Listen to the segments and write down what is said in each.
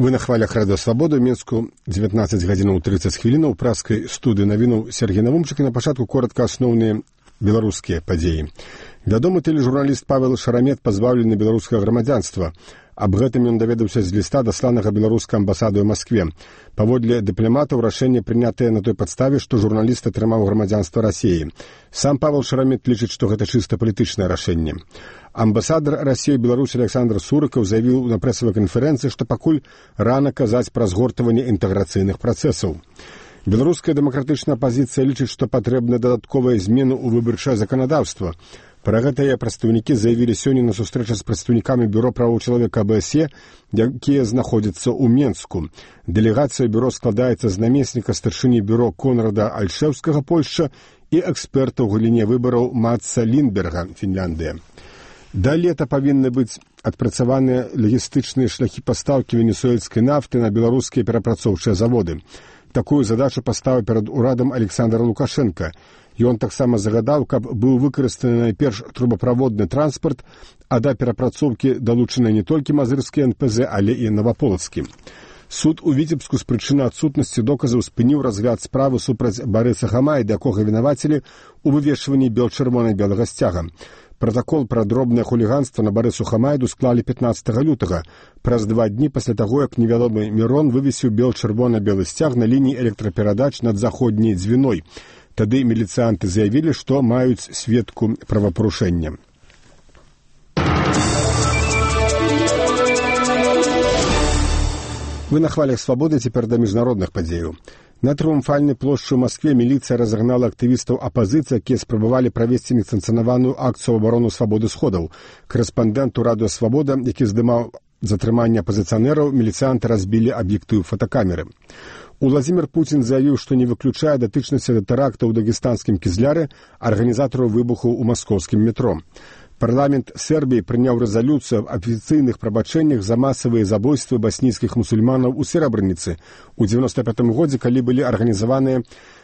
Вы на хвалях Радыё Свабода, Мінску, 19 гадзінаў 30 хвілінаў, праскай студыі навінуў Сергей Навумчык, і на пачатку коротка асноўныя беларускія падзеі. Вядомы тэлежурналіст Павел Шарамет пазбаўлены беларускага грамадзянства. Аб гэтым ён даведаўся з ліста, дасланага беларускай амбасадой у Маскве. Паводле дыпламатаў, рашэнне прынятае на той падставе, што журналіст атрымаў грамадзянства Расіі. Сам Павел Шарамет лічыць, што гэта чыста палітычнае рашэнне. Амбасадар Расіі ў Беларусі Александр Сурыкаў заявіў на прэсавай канферэнцыі, што пакуль рана казаць пра згортванне інтэграцыйных працэсаў. Беларуская дэмакратычная апазіцыя лічыць, што патрэбна дадатковая змена ў выбарчае заканадаўства. Пра гэта прадстаўнікі заявілі сёння на сустрэчы з прадстаўнікамі бюро правоў чалавека АБСЕ, якія знаходзяцца ў Менску. Дэлегацыя бюро складаецца з намесніка старшыні бюро Конрада Альшэўскага, Польшча, і эксперта ў галіне выбараў Матса Ліндберга, Фінляндыя. Да лета павінны быць адпрацаваныя лагістычныя шляхі пастаўкі венесуэльскай нафты на беларускія перапрацоўчыя заводы. Такую задачу паставіў перад урадам Александр Лукашенко. Ён таксама загадаў, каб быў выкарыстаны найперш трубаправодны транспарт, а да перапрацоўкі далучаны не толькі мазырскі НПЗ, але і Наваполацкі. Суд у Віцебску з прычыны адсутнасці доказаў спыніў разгляд справы супраць Барыса Хамайда, якога вінавацілі ў вывешванні бел-чырвона-белага сцяга. Пратакол пра дробнае хуліганства на Барысу Хамайду склалі 15 лютага, праз 2 дні пасля таго, як невядомы Мірон вывесіў бел-чырвона-белы сцяг на лініі электраперадач над заходняй Дзвіной. Тады міліцыянты заявілі, што маюць сведку правапарушэння. Вы на хвалях Свабоды, цяпер да міжнародных падзеяў. На трыумфальнай плошчы ў Маскве міліцыя разагнала актывістаў апазіцыі, якія спрабавалі правесці несанкцыянаваную акцыю ў абарону свабоды сходаў. Карэспандэнту Радыё Свабода, які здымаў затрыманне апазіцыянераў, міліцыянты разбілі аб'ектыў фотакамеры. Уладзімір Пуцін заявіў, што не выключае датычнасці да тэрактаў у дагестанскім Кізляры, арганізатараў выбуху ў маскоўскім метро. Парламент Сербіі прыняў рэзалюцыю аб афіцыйных прабачэннях за масавыя забойствы баснійскіх мусульманаў у Серабрыніцы ў 95 годзе, калі былі арганізаваныя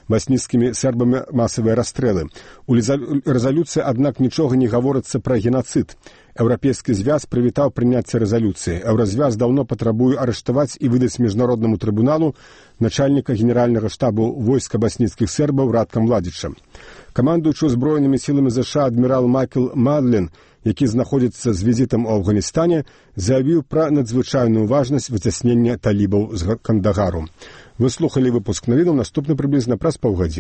баснійскімі сербамі масавыя расстрэлы. У рэзалюцыі, аднак, нічога не гаворыцца пра генацыд. Еўрапейскі звяз прывітаў прыняцце рэзалюцыі. Еўразвяз даўно патрабуе арыштаваць і выдаць міжнароднаму трыбуналу начальніка генеральнага штабу войска баснійскіх сербаў Ратка Младзіча. Камандуючы ўзброенымі сіламі ЗША адмірал Майкл Мадлен, які знаходзіцца з візітам у Афганістане, заявіў пра надзвычайную важнасць выцяснення талібаў з Кандагару. Вы слухалі выпуск навінаў, наступны прыблізна праз паўгадзіны.